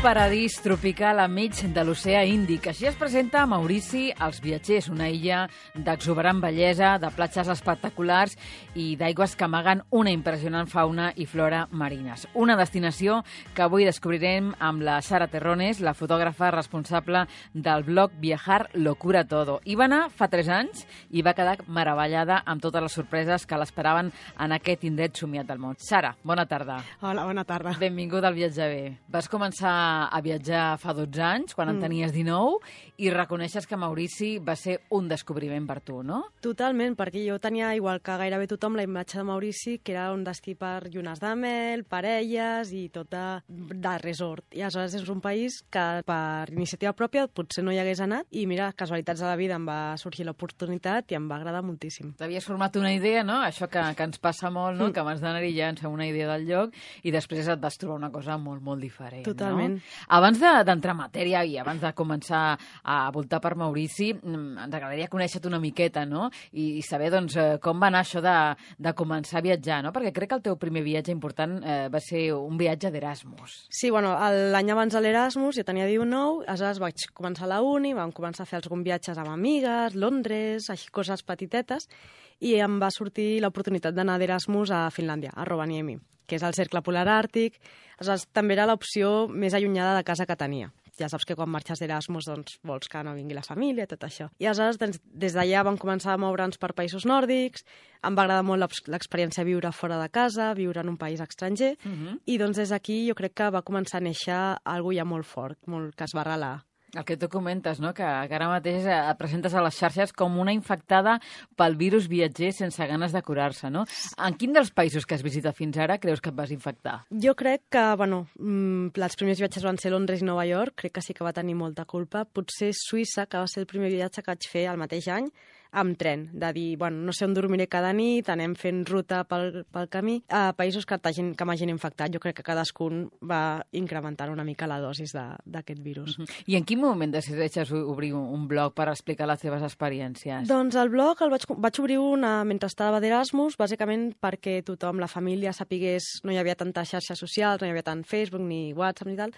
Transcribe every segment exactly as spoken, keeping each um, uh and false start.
paradís tropical enmig de l'oceà Índic. Així es presenta a Maurici als viatgers, una illa d'exuberant bellesa, de platges espectaculars i d'aigües que amaguen una impressionant fauna i flora marines. Una destinació que avui descobrirem amb la Sara Terrones, la fotògrafa responsable del blog Viajar lo cura todo. Hi va anar fa tres anys i va quedar meravellada amb totes les sorpreses que l'esperaven en aquest indret somiat del món. Sara, bona tarda. Hola, bona tarda. Benvinguda al Viatge Bé. Vas començar a viatjar fa dotze anys, quan en tenies dinou, i reconeixes que Maurici va ser un descobriment per tu, no? Totalment, perquè jo tenia, igual que gairebé tothom, la imatge de Maurici, que era un destí per llunes de mel, parelles i tot de, de resort. I aleshores és un país que per iniciativa pròpia potser no hi hagués anat i mira, casualitats de la vida em va sorgir l'oportunitat i em va agradar moltíssim. T'havies format una idea, no? Això que, que ens passa molt, no? Mm. Que abans d'anar-hi ja ens fem una idea del lloc i després et vas trobar una cosa molt, molt diferent. Totalment. No? Abans d'entrar en matèria i abans de començar a voltar per Maurici, ens agradaria conèixer-te una miqueta, no? I, i saber, doncs, com va anar això de, de començar a viatjar, no? Perquè crec que el teu primer viatge important eh, va ser un viatge d'Erasmus. Sí, bueno, l'any abans de l'Erasmus jo tenia dinou, aleshores vaig començar a la uni, vam començar a fer algun viatges amb amigues, Londres, així coses petitetes, i em va sortir l'oportunitat d'anar d'Erasmus a Finlàndia, a Rovaniemi, que és el cercle polar àrtic. Aleshores, també era l'opció més allunyada de casa que tenia. Ja saps que quan marxes d'Erasmus doncs, vols que no vingui la família, tot això. I aleshores, doncs, des d'allà vam començar a moure'ns per països nòrdics, em va agradar molt l'experiència de viure fora de casa, viure en un país estranger, uh -huh. i doncs des d'aquí jo crec que va començar a néixer alguna ja molt fort, molt, que es va arrelar. El que tu comentes, no? que, que ara mateix et presentes a les xarxes com una infectada pel virus viatger sense ganes de curar-se, no? En quin dels països que has visitat fins ara creus que et vas infectar? Jo crec que, bueno, els primers viatges van ser Londres i Nova York, crec que sí que va tenir molta culpa. Potser Suïssa, que va ser el primer viatge que vaig fer el mateix any, amb tren, de dir, bueno, no sé on dormiré cada nit, anem fent ruta pel, pel camí, a països que, que m'hagin infectat. Jo crec que cadascun va incrementar una mica la dosis d'aquest virus. Uh-huh. I en quin moment decideixes obrir un blog per explicar les teves experiències? Doncs el blog el vaig, vaig obrir una mentre estava d'Erasmus, bàsicament perquè tothom, la família, sapigués, no hi havia tantes xarxes socials, no hi havia tant Facebook ni WhatsApp ni tal,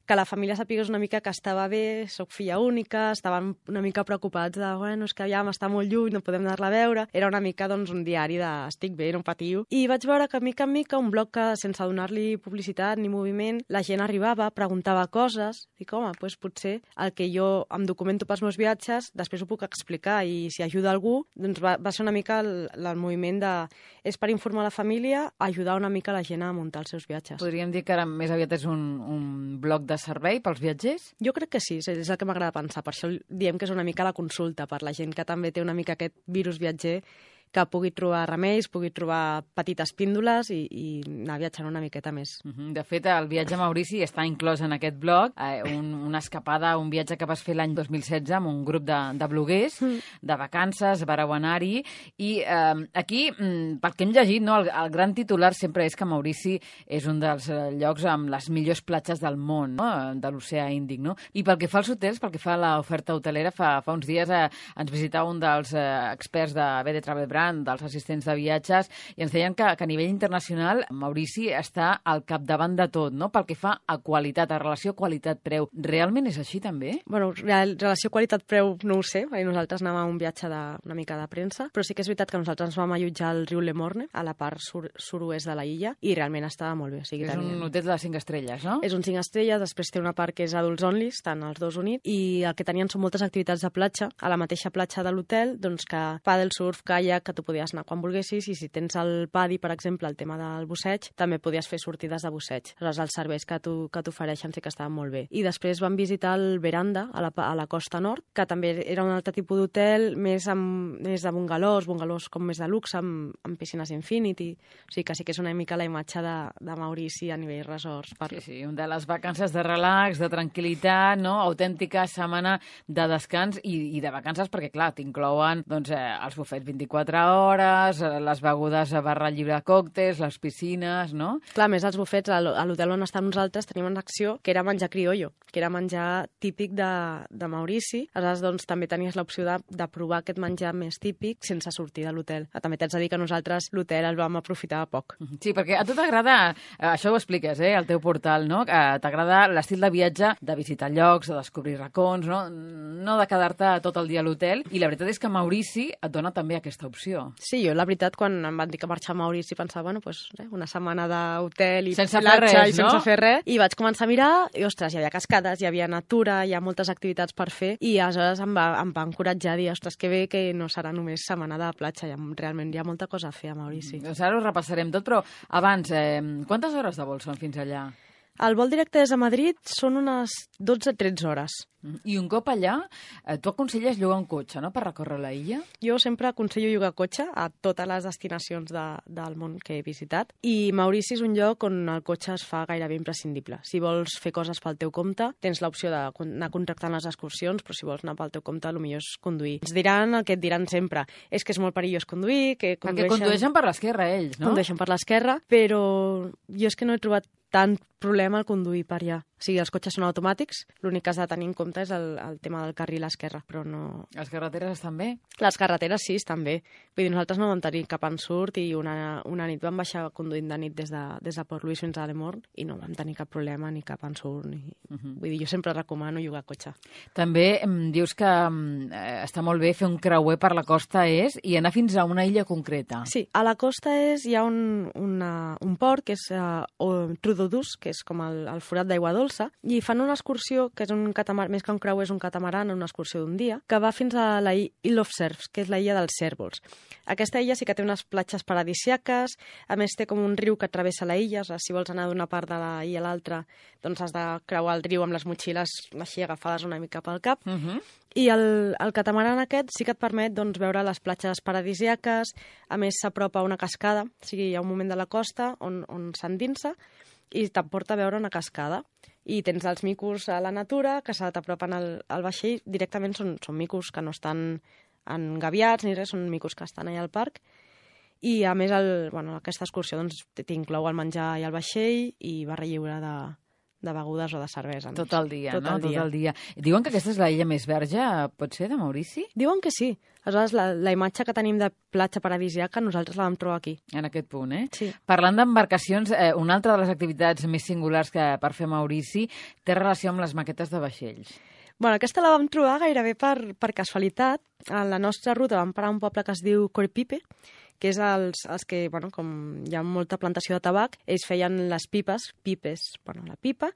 que la família sapigués una mica que estava bé, soc filla única, estaven una mica preocupats de, bueno, és que aviam, està molt lluny, no podem anar-la a veure. Era una mica, doncs, un diari de estic bé, no patiu. I vaig veure que, mica en mica, un blog que, sense donar-li publicitat ni moviment, la gent arribava, preguntava coses, dic, home, doncs potser el que jo em documento pels meus viatges, després ho puc explicar, i si ajuda algú, doncs va, va ser una mica el, el moviment de... És per informar la família, ajudar una mica la gent a muntar els seus viatges. Podríem dir que ara més aviat és un, un blog de servei pels viatgers? Jo crec que sí, és el que m'agrada pensar. Per això diem que és una mica la consulta per la gent que també té una mica aquest virus viatger, que pugui trobar remeis, pugui trobar petites píndoles i, i anar viatjant una miqueta més. De fet, el viatge a Maurici està inclòs en aquest blog, eh, un, una escapada, un viatge que vas fer l'any dos mil setze amb un grup de, de bloguers, mm. de vacances, vareu anar-hi, i eh, aquí, pel que hem llegit, no, el, el gran titular sempre és que Maurici és un dels llocs amb les millors platges del món, no? De l'oceà Índic, no? I pel que fa als hotels, pel que fa a l'oferta hotelera, fa, fa uns dies eh, ens visitava un dels eh, experts de B D Travel Brand, dels assistents de viatges, i ens deien que, que a nivell internacional Maurici està al capdavant de tot, no? Pel que fa a qualitat, a relació qualitat-preu. Realment és així, també? Bueno, relació qualitat-preu no ho sé, perquè nosaltres anàvem a un viatge de, una mica de premsa, però sí que és veritat que nosaltres ens vam allotjar al riu Le Morne, a la part sur, sud-oest de la illa, i realment estava molt bé. O sigui, és tenia... un hotel de cinc estrelles, no? És un cinc estrelles, després té una part que és adults only, estan els dos units, i el que tenien són moltes activitats de platja, a la mateixa platja de l'hotel, doncs que paddle surf, kayak, que tu podies anar quan volguessis, i si tens el padi, per exemple, el tema del busseig, també podies fer sortides de busseig. Aleshores, els serveis que t'ofereixen sí que estaven molt bé. I després vam visitar el Veranda, a la, a la costa nord, que també era un altre tipus d'hotel, més, amb, més de bungalós, bungalós com més de luxe, amb, amb piscines infinity. O sigui que sí que és una mica la imatge de, de Maurici a nivell resorts. Per... Sí, sí, un de les vacances de relax, de tranquil·litat, no? Autèntica setmana de descans i, i de vacances, perquè, clar, t'inclouen doncs, eh, els bufets vint-i-quatre a hores, les begudes barra llibre còctels, les piscines, no? Clar, més els bufets, a l'hotel on estàvem nosaltres tenim una acció que era menjar criollo, que era menjar típic de, de Maurici. Aleshores, doncs, també tenies l'opció de, de provar aquest menjar més típic sense sortir de l'hotel. També t'haig de dir que nosaltres l'hotel el vam aprofitar poc. Sí, perquè a tu t'agrada, això ho expliques, eh, al teu portal, no? T'agrada l'estil de viatge, de visitar llocs, de descobrir racons, no? No de quedar-te tot el dia a l'hotel. I la veritat és que Maurici et dona també aquesta opció. Sí, jo la veritat, quan em van dir que marxar a Maurici, pensava, bueno, pues, eh, una setmana d'hotel i sense platja fer res, i sense no? fer res. I vaig començar a mirar i, ostres, hi havia cascades, hi havia natura, hi ha moltes activitats per fer i aleshores em va, em va encoratjar a dir, ostres, que bé que no serà només setmana de platja, hi ha, realment hi ha molta cosa a fer a Maurici. Mm, doncs ara ho repassarem tot, però abans, eh, quantes hores de vol són fins allà? El vol directe des de Madrid són unes dotze a tretze hores. I un cop allà, eh, tu aconselles llogar un cotxe, no?, per recórrer la illa? Jo sempre aconsello llogar cotxe a totes les destinacions de, del món que he visitat. I Maurici és un lloc on el cotxe es fa gairebé imprescindible. Si vols fer coses pel teu compte, tens l'opció d'anar contractant les excursions, però si vols anar pel teu compte, el millor és conduir. Ens diran el que et diran sempre. És que és molt perillós conduir, que condueixen... Perquè condueixen per l'esquerra, ells, no? Condueixen per l'esquerra, però jo és que no he trobat tant problema al conduir per allà. O sigui, els cotxes són automàtics, l'únic que has de tenir en compte és el, el tema del carril esquerre, però no... Les carreteres estan bé? Les carreteres sí, estan bé. Vull dir, nosaltres no vam tenir cap ensurt i una, una nit vam baixar conduint de nit des de, des de Port Louis fins a Lemorn i no vam tenir cap problema ni cap ensurt. Ni... Uh -huh. Vull dir, jo sempre recomano llogar cotxe. També em dius que eh, està molt bé fer un creuer per la costa és i anar fins a una illa concreta. Sí, a la costa és, hi ha un, una, un port que és uh, Trudodús, que és com el, el forat d'aigua dolça, i fan una excursió, que és un catamar, més que un creuer és un catamaran, una excursió d'un dia, que va fins a la Isle of Cerfs, que és la illa dels cèrvols. Aquesta illa sí que té unes platges paradisíaques, a més té com un riu que travessa la illa, o sigui, si vols anar d'una part de la illa a l'altra, doncs has de creuar el riu amb les motxilles així agafades una mica pel cap. Uh -huh. I el, el catamaran aquest sí que et permet doncs, veure les platges paradisíaques, a més s'apropa a una cascada, o sigui, hi ha un moment de la costa on, on s'endinsa i t'emporta a veure una cascada. I tens els micos a la natura que se t'apropen al, al vaixell, directament són, són micos que no estan engaviats ni res, són micos que estan allà al parc. I a més el, bueno, aquesta excursió doncs, t'inclou el menjar i el vaixell i barra lliure de, de begudes o de cervesa. Tot el dia, tot no? El dia. Tot el dia. Diuen que aquesta és la illa més verge, pot ser, de Maurici? Diuen que sí. Aleshores, la, la imatge que tenim de platja paradisíaca nosaltres la vam trobar aquí. En aquest punt, eh? Sí. Parlant d'embarcacions, eh, una altra de les activitats més singulars que per fer a Maurici té relació amb les maquetes de vaixells. Bueno, aquesta la vam trobar gairebé per, per casualitat. A la nostra ruta vam parar a un poble que es diu Corpipe, que és els, els que, bueno, com hi ha molta plantació de tabac, ells feien les pipes, pipes, bueno, la pipa,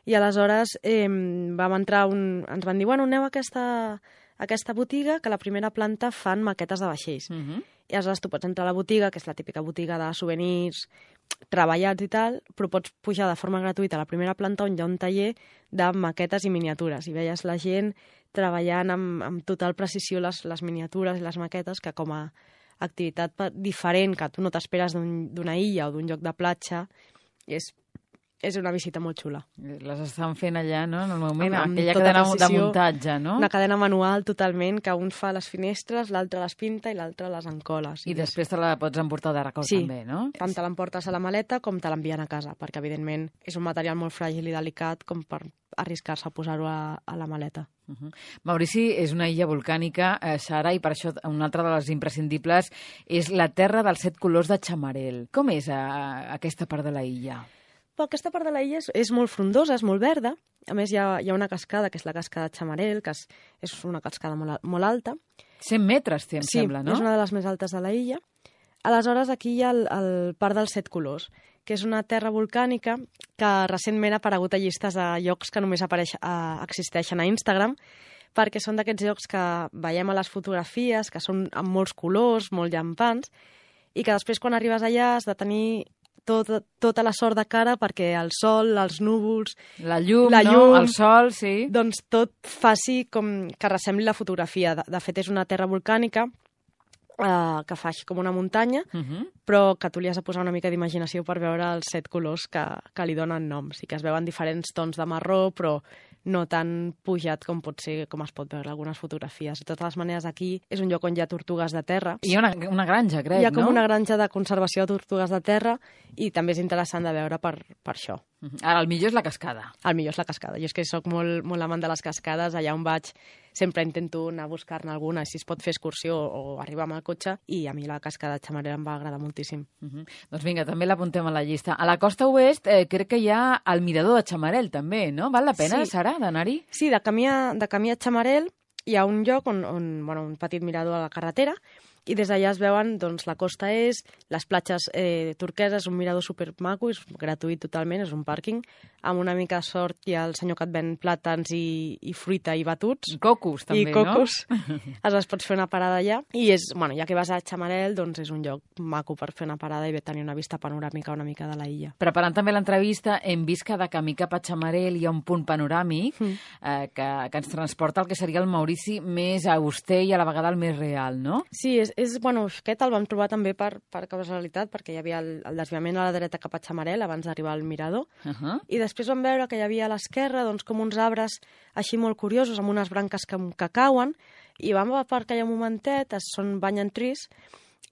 i aleshores eh, vam entrar, un, ens van dir, bueno, aneu a aquesta, a aquesta botiga, que a la primera planta fan maquetes de vaixells. Uh -huh. I aleshores tu pots entrar a la botiga, que és la típica botiga de souvenirs treballats i tal, però pots pujar de forma gratuïta a la primera planta on hi ha un taller de maquetes i miniatures. I veies la gent treballant amb, amb total precisió les, les miniatures i les maquetes, que com a activitat diferent que tu no t'esperes d'una un, illa o d'un lloc de platja, és, és una visita molt xula. Les estan fent allà, no?, en el moment, amb, amb aquella tota cadena precisió, de muntatge, no? Una cadena manual totalment, que un fa les finestres, l'altre les pinta i l'altre les encola. I després te la pots emportar de record sí, també, no? Tant te l'emportes a la maleta com te l'envien a casa, perquè evidentment és un material molt fràgil i delicat com per arriscar-se a posar-ho a, a la maleta. Uh -huh. Maurici és una illa volcànica, eh, Sara, i per això una altra de les imprescindibles és la terra dels set colors de Chamarel. Com és eh, aquesta part de la illa? Però aquesta part de la illa és, és molt frondosa, és molt verda. A més, hi ha, hi ha una cascada, que és la cascada de Chamarel, que és, és una cascada molt, molt alta. cent metres, té, em sí, sembla, no? Sí, és una de les més altes de la illa. Aleshores, aquí hi ha el, el Parc dels Set Colors, que és una terra volcànica que recentment ha aparegut a llistes de llocs que només apareix, a, existeixen a Instagram, perquè són d'aquests llocs que veiem a les fotografies, que són amb molts colors, molt llampants, i que després quan arribes allà has de tenir tot, tota la sort de cara perquè el sol, els núvols... La llum, la llum no? El sol, sí. Doncs tot faci com que ressembli la fotografia. De, de fet, és una terra volcànica Uh, que fa així com una muntanya, uh -huh. però que tu li has de posar una mica d'imaginació per veure els set colors que, que li donen noms i que es veuen diferents tons de marró, però no tan pujat com pot ser, com es pot veure algunes fotografies. De totes les maneres, aquí és un lloc on hi ha tortugues de terra. Hi ha una, una granja, crec, no? Hi ha com no? una granja de conservació de tortugues de terra i també és interessant de veure per, per això. Ara, el millor és la cascada. El millor és la cascada. Jo és que sóc molt, molt amant de les cascades. Allà on vaig sempre intento anar a buscar-ne alguna, si es pot fer excursió o arribar amb el cotxe, i a mi la cascada de Chamarel em va agradar moltíssim. Uh -huh. Doncs vinga, també l'apuntem a la llista. A la costa oest eh, crec que hi ha el mirador de Chamarel, també, no? Val la pena, sí. Sara, d'anar-hi? Sí, de camí a, de camí a Chamarel hi ha un lloc, on, on, bueno, un petit mirador a la carretera, i des d'allà es veuen doncs, la costa est, les platges eh, turqueses, un mirador supermaco, és gratuït totalment, és un pàrquing, amb una mica de sort hi ha el senyor que et ven plàtans i, i fruita i batuts. I cocos, també, I cocos. No? Aleshores pots fer una parada allà. I és, bueno, ja que vas a Chamarel, doncs és un lloc maco per fer una parada i tenir una vista panoràmica una mica de la illa. Preparant també l'entrevista, hem vist que de camí cap a Chamarel hi ha un punt panoràmic mm. eh, que, que ens transporta al que seria el Maurici més auster i a la vegada el més real, no? Sí, és, és bueno, aquest el vam trobar també per, per casualitat, perquè hi havia el, el desviament a la dreta cap a Chamarel abans d'arribar al mirador, uh -huh. i després vam veure que hi havia a l'esquerra doncs, com uns arbres així molt curiosos, amb unes branques que, que cauen, i vam aparcar allà un momentet, es són banyan trees,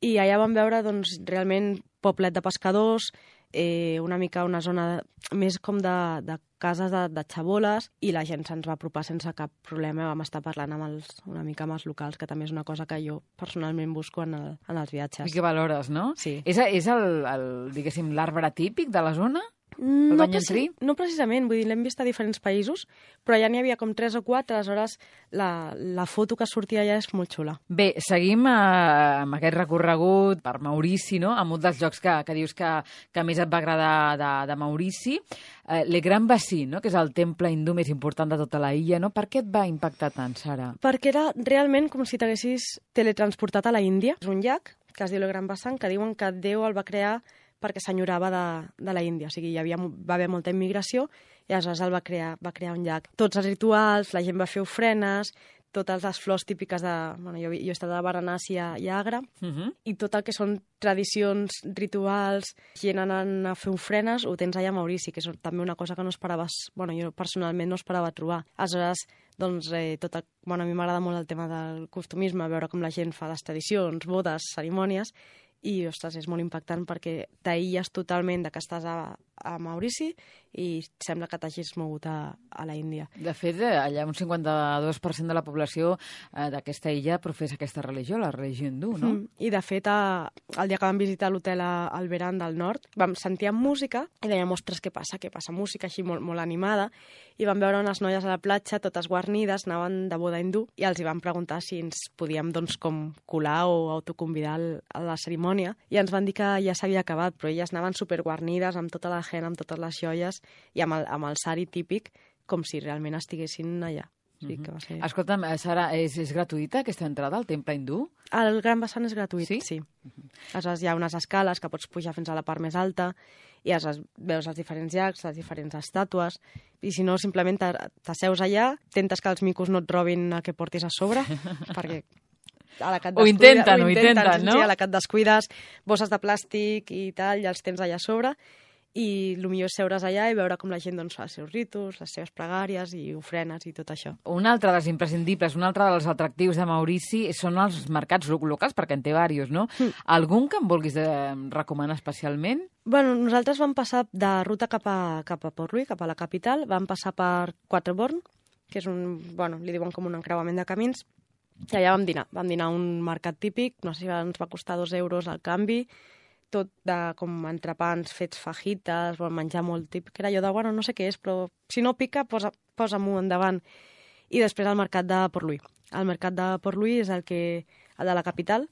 i allà vam veure doncs, realment poblet de pescadors, eh, una mica una zona més com de, de cases de, de xaboles, i la gent se'ns va apropar sense cap problema. Vam estar parlant amb els, una mica amb els locals, que també és una cosa que jo personalment busco en, el, en els viatges. I que valores, no? Sí. És, és el, el, diguéssim, l'arbre típic de la zona? No, preci no precisament, vull dir, l'hem vist a diferents països, però ja n'hi havia com tres o quatre, aleshores la, la foto que sortia allà és molt xula. Bé, seguim eh, amb aquest recorregut per Maurici, no? Amb un dels llocs que, que dius que, que més et va agradar de, de Maurici, eh, Le Grand Bassin, no? Que és el temple hindú més important de tota la illa, no? Per què et va impactar tant, Sara? Perquè era realment com si t'haguessis teletransportat a la Índia. És un llac que es diu Le Grand Bassin, que diuen que Déu el va crear perquè s'enyorava de, de la Índia. O sigui, hi havia, va haver molta immigració i aleshores el va crear, va crear un llac. Tots els rituals, la gent va fer ofrenes, totes les flors típiques de... Bueno, jo, jo he estat a Varanasi i a Agra, uh -huh. i tot el que són tradicions, rituals, gent anant a fer ofrenes, ho tens allà a Maurici, que és també una cosa que no esperaves... Bueno, jo personalment no esperava trobar. Aleshores, doncs, eh, tot el, bueno, a mi m'agrada molt el tema del costumisme, veure com la gent fa les tradicions, bodes, cerimònies, i, ostres, és molt impactant perquè t'aïlles totalment de que estàs a, a Maurici i sembla que t'hagis mogut a, a la Índia. De fet, allà un cinquanta-dos per cent de la població eh, d'aquesta illa professa aquesta religió, la religió hindú, no? Mm. I, de fet, a, el dia que vam visitar l'hotel al Veran del Nord, vam sentir música i dèiem, ostres, què passa? Què passa? Música així molt, molt animada, i vam veure unes noies a la platja, totes guarnides, anaven de boda hindú, i els hi vam preguntar si ens podíem, doncs, com colar o autoconvidar a la cerimònia, i ens van dir que ja s'havia acabat, però elles anaven superguarnides, amb tota la gent, amb totes les joies, i amb el, amb el sari típic, com si realment estiguessin allà. O sigui, que va ser... Escolta'm, Sara, és, és gratuïta aquesta entrada al temple hindú? El Gran Bassin és gratuït, sí. sí. Uh-huh. Aleshores hi ha unes escales que pots pujar fins a la part més alta, i aleshores veus els diferents llacs, les diferents estàtues, i si no, simplement t'asseus allà, intentes que els micos no et robin el que portis a sobre, perquè... A la ho intenten, ho intenten, no? Sí, a la que et descuides, bosses de plàstic i tal, ja els tens allà a sobre, i el millor és seure's allà i veure com la gent doncs, fa els seus ritus, les seves pregàries i ofrenes i tot això. Un altre dels imprescindibles, un altre dels atractius de Maurici són els mercats locals, perquè en té diversos, no? Mm. Algun que em vulguis de recomanar especialment? Bueno, nosaltres vam passar de ruta cap a, cap a Port-Louis, cap a la capital, vam passar per Quatreborn, que és un, bueno, li diuen com un encreuament de camins, i allà vam dinar. Vam dinar a un mercat típic, no sé si ens va costar dos euros al canvi, tot de com entrepans fets fajites, bon, menjar molt típic, que era allò de, bueno, no sé què és, però si no pica, posa, posa-m'ho endavant. I després el mercat de Port-Louis. El mercat de Port-Louis és el, que, el de la capital.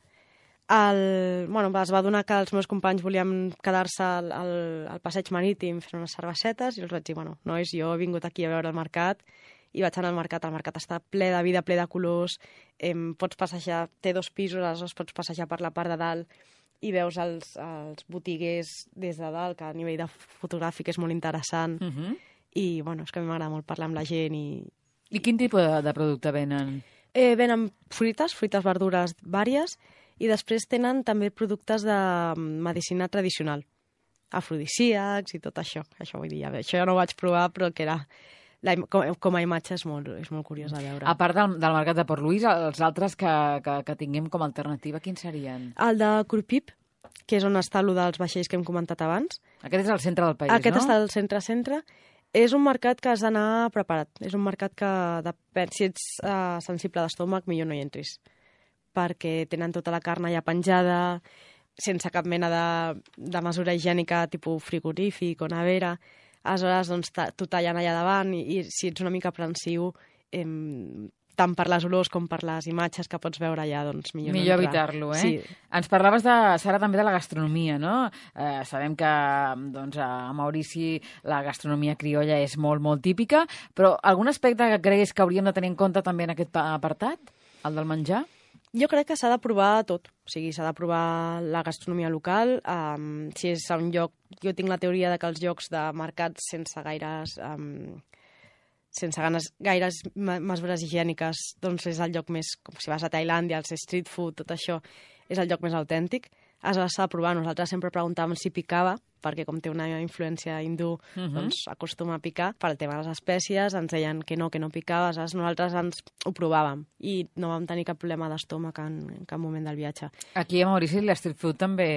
El, bueno, es va donar que els meus companys volíem quedar-se al, al, al passeig marítim fent unes cervesetes, i els vaig dir, bueno, nois, jo he vingut aquí a veure el mercat, i vaig anar al mercat. El mercat està ple de vida, ple de colors, eh, pots passejar, té dos pisos, aleshores pots passejar per la part de dalt, i veus els, els botiguers des de dalt, que a nivell de fotogràfic és molt interessant. Uh -huh. I, bueno, és que a mi m'agrada molt parlar amb la gent. I, I quin tipus de, de producte venen? Eh, venen fruites, fruites, verdures vàries, i després tenen també productes de medicina tradicional, afrodisíacs i tot això. Això vull dir, això ja no ho vaig provar, però que era la, com, com a imatge és molt, és molt curiós de veure. A part del, del mercat de Port Louis, els altres que, que, que tinguem com a alternativa, quins serien? El de Crupiep, que és on està el dels vaixells que hem comentat abans. Aquest és el centre del país, Aquest no? està al centre-centre. És un mercat que has d'anar preparat. És un mercat que, depèn, si ets uh, sensible d'estómac, millor no hi entris. Perquè tenen tota la carn allà penjada, sense cap mena de, de mesura higiènica, tipus frigorífic o nevera. Aleshores, doncs, t'ho tallen allà davant i, i si ets una mica aprensiu, eh, tant per les olors com per les imatges que pots veure allà, doncs millor, millor no evitar-lo, eh? Sí. Ens parlaves, de, Sara, també de la gastronomia, no? Eh, sabem que doncs, a Maurici la gastronomia criolla és molt, molt típica, però algun aspecte que creguis que hauríem de tenir en compte també en aquest apartat, el del menjar? Jo crec que s'ha de provar tot. O sigui, s'ha de provar la gastronomia local. Um, si és a un lloc... Jo tinc la teoria de que els llocs de mercats sense gaires... Um, sense ganes, gaires mesures higièniques, doncs és el lloc més... Com si vas a Tailàndia, els street food, tot això, és el lloc més autèntic. Aleshores s'ha de provar. Nosaltres sempre preguntàvem si picava, perquè com té una influència hindú, uh-huh. doncs acostuma a picar. Per al tema de les espècies ens deien que no, que no picava. Aleshores nosaltres ens ho provàvem i no vam tenir cap problema d'estómac en, en cap moment del viatge. Aquí a Maurici l'street food també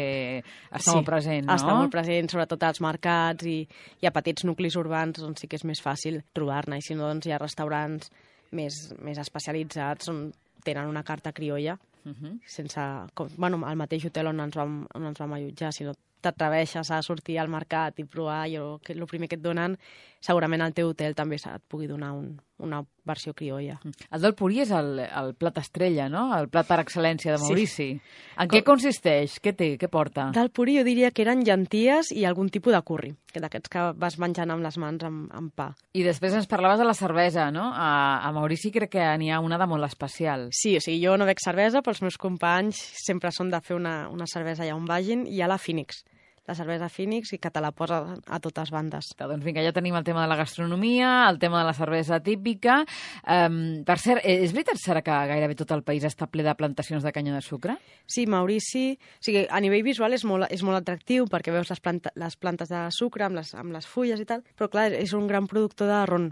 està sí, molt present, no? Està molt present, sobretot als mercats i, i a petits nuclis urbans, on sí que és més fàcil trobar-ne. I si no, doncs hi ha restaurants més, més especialitzats on tenen una carta criolla. Uh-huh. Sense, com, bueno, al mateix hotel on ens vam, on ens vam allotjar, si no t'atreveixes a sortir al mercat i provar jo, que el primer que et donen, segurament al teu hotel també et pugui donar un, una versió criolla. El del purí és el, el plat estrella, no? El plat per excel·lència de Maurici. Sí. En Com... què consisteix? Què té? Què porta? Del purí jo diria que eren llenties i algun tipus de curri, que d'aquests que vas menjant amb les mans amb, amb pa. I després ens parlaves de la cervesa, no? A, a Maurici crec que n'hi ha una de molt especial. Sí, o sigui, jo no bec cervesa, però els meus companys sempre són de fer una, una cervesa allà on vagin, i hi ha la Phoenix, la cervesa Phoenix, i que te la posa a totes bandes. Doncs vinga, ja tenim el tema de la gastronomia, el tema de la cervesa típica. Um, per cert, és veritat, Sara, que gairebé tot el país està ple de plantacions de canya de sucre? Sí, Maurici... O sigui, a nivell visual és molt, és molt atractiu perquè veus les, planta, les plantes de sucre amb les, amb les fulles i tal, però clar, és un gran productor de ron.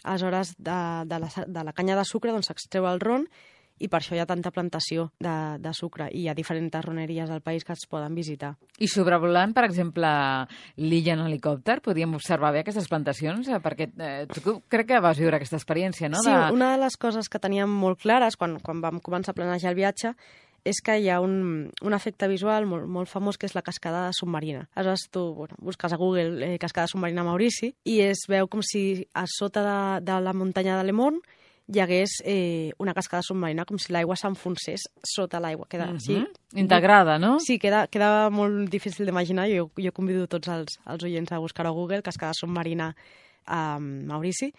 Aleshores, de, de, la, de la canya de sucre doncs s'extreu el ron, i per això hi ha tanta plantació de, de sucre, i hi ha diferents roneries al país que es poden visitar. I sobrevolant, per exemple, l'illa en helicòpter, podríem observar bé aquestes plantacions? Perquè eh, tu crec que vas viure aquesta experiència, no? Sí, de... una de les coses que teníem molt clares quan, quan vam començar a planejar el viatge és que hi ha un, un efecte visual molt, molt famós, que és la cascada submarina. Aleshores tu bueno, busques a Google eh, cascada submarina Maurici i es veu com si a sota de, de la muntanya de Le Morne hi hagués eh, una cascada submarina, com si l'aigua s'enfonsés sota l'aigua. Queda, mm-hmm. sí, integrada, no? Sí, queda, queda molt difícil d'imaginar. Jo, jo convido tots els, els oients a buscar a Google cascada submarina a Maurici.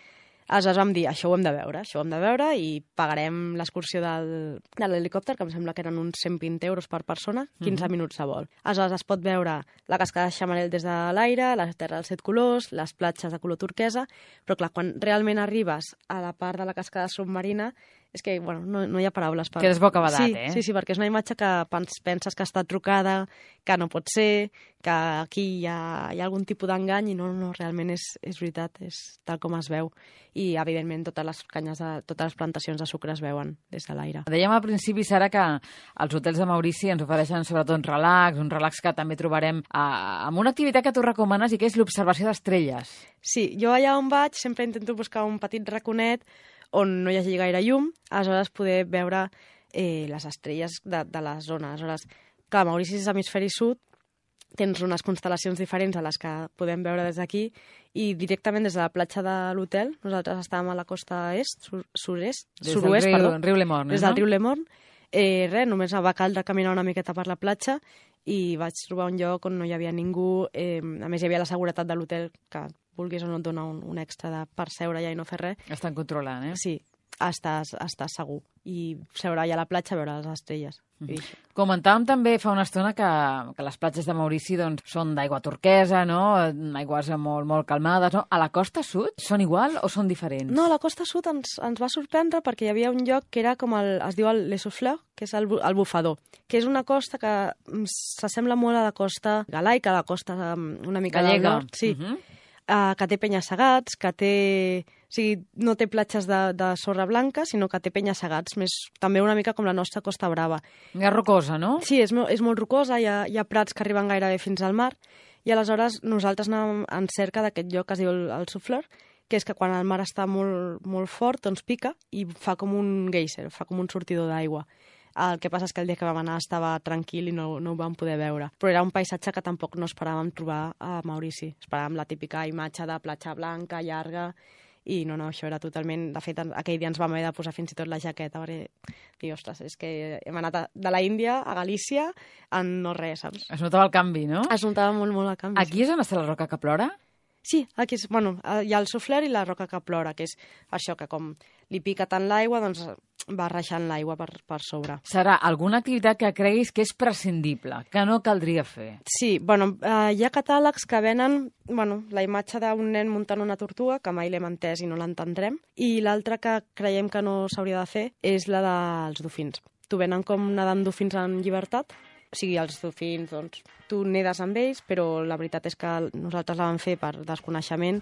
Aleshores vam dir, això ho hem de veure, això ho hem de veure, i pagarem l'excursió del, de l'helicòpter, que em sembla que eren uns cent vint euros per persona, quinze uh-huh. minuts de vol. Aleshores es pot veure la cascada de Xamarel des de l'aire, la terra dels set colors, les platges de color turquesa, però clar, quan realment arribes a la part de la cascada submarina, és que, bueno, no, no hi ha paraules per... Quedes bocabadat, sí, eh? Sí, sí, perquè és una imatge que penses que està trucada, que no pot ser, que aquí hi ha, hi ha algun tipus d'engany, i no, no, realment és, és veritat, és tal com es veu. I, evidentment, totes les canyes, de, totes les plantacions de sucre es veuen des de l'aire. Dèiem al principi, Sara, que els hotels de Maurici ens ofereixen sobretot un relax, un relax que també trobarem a, amb una activitat que tu recomanes i que és l'observació d'estrelles. Sí, jo allà on vaig sempre intento buscar un petit raconet on no hi hagi gaire llum, aleshores poder veure eh, les estrelles de, de la zona. Aleshores, clar, Maurici és hemisferi sud, tens unes constel·lacions diferents a les que podem veure des d'aquí, i directament des de la platja de l'hotel, nosaltres estàvem a la costa est, sur, sud-est, sud-oest, riu, perdó, riu Le Morne, des del no? riu Le Morne, eh, res, només va caldre caminar una miqueta per la platja, i vaig trobar un lloc on no hi havia ningú, eh, a més hi havia la seguretat de l'hotel, que vulguis o no et dona un, un extra de per seure allà i no fer res. Estan controlant, eh? Sí, estàs, estàs segur. I seure allà a la platja a veure les estrelles. Mm. Comentàvem també fa una estona que, que les platges de Maurici doncs, són d'aigua turquesa, no? Aigües molt, molt calmades, no? A la costa sud són igual o són diferents? No, a la costa sud ens, ens va sorprendre perquè hi havia un lloc que era com el, es diu el Les Souffleurs, que és el, el bufador, que és una costa que s'assembla molt a la costa galaica, a la costa una mica gallega. Del nord, sí. Uh-huh. Uh, que té penya-segats, que té O sigui, no té platges de, de sorra blanca, sinó que té penya-segats, més, també una mica com la nostra Costa Brava. És rocosa, no? Sí, és, és molt rocosa, hi ha, hi ha prats que arriben gairebé fins al mar, i aleshores nosaltres anàvem en cerca d'aquest lloc que es diu el, el Souffleur, que és que quan el mar està molt, molt fort, doncs pica i fa com un geyser, fa com un sortidor d'aigua. El que passa és que el dia que vam anar estava tranquil i no, no ho vam poder veure. Però era un paisatge que tampoc no esperàvem trobar a Maurici. Esperàvem la típica imatge de platja blanca, llarga, i no, no, això era totalment... De fet, aquell dia ens vam haver de posar fins i tot la jaqueta, perquè, dic, ostres, és que hem anat a, de la Índia a Galícia en no res, saps? Es notava el canvi, no? Es notava molt, molt el canvi. Aquí sí. És on està la roca que plora? Sí, aquí és, bueno, hi ha el Souffleur i la roca que plora, que és això, que com li pica tant l'aigua, doncs va reixant l'aigua per, per sobre. Serà alguna activitat que creguis que és prescindible, que no caldria fer? Sí, bueno, eh, hi ha catàlegs que venen bueno, la imatge d'un nen muntant una tortuga, que mai l'hem entès i no l'entendrem, i l'altra que creiem que no s'hauria de fer és la dels dofins. Tu venen com nedant dofins en llibertat, o sigui, els dofins, doncs, tu nedes amb ells, però la veritat és que nosaltres la vam fer per desconeixement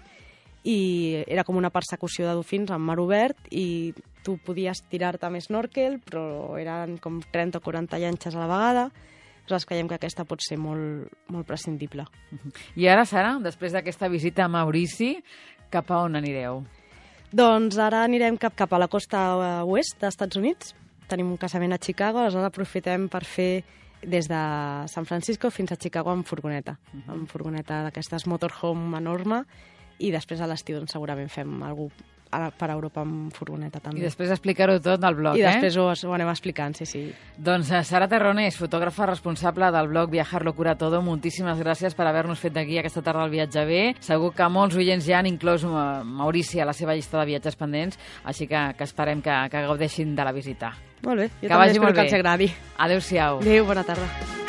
i era com una persecució de dofins en mar obert i tu podies tirar-te amb snorkel, però eren com trenta o quaranta llanxes a la vegada. Nosaltres creiem que aquesta pot ser molt, molt prescindible. I ara, Sara, després d'aquesta visita a Maurici, cap a on anireu? Doncs ara anirem cap, cap a la costa oest dels Estats Units. Tenim un casament a Chicago, aleshores aprofitem per fer des de San Francisco fins a Chicago amb furgoneta, uh -huh. amb furgoneta d'aquestes motorhome enorme, i després a l'estiu doncs, segurament fem alguna cosa per Europa amb furgoneta també. I després explicar-ho tot al blog, I eh? I després ho, ho anem explicant, sí, sí. Doncs Sara Terronés, fotògrafa responsable del blog Viajarlo Cura Todo, moltíssimes gràcies per haver-nos fet d'aquí aquesta tarda el viatge bé. Segur que molts oients ja han inclòs Maurici a la seva llista de viatges pendents, així que, que esperem que, que gaudeixin de la visita. Molt bé, jo que també vagi espero molt que bé. els agradi. Adéu-siau. Adéu, bona tarda.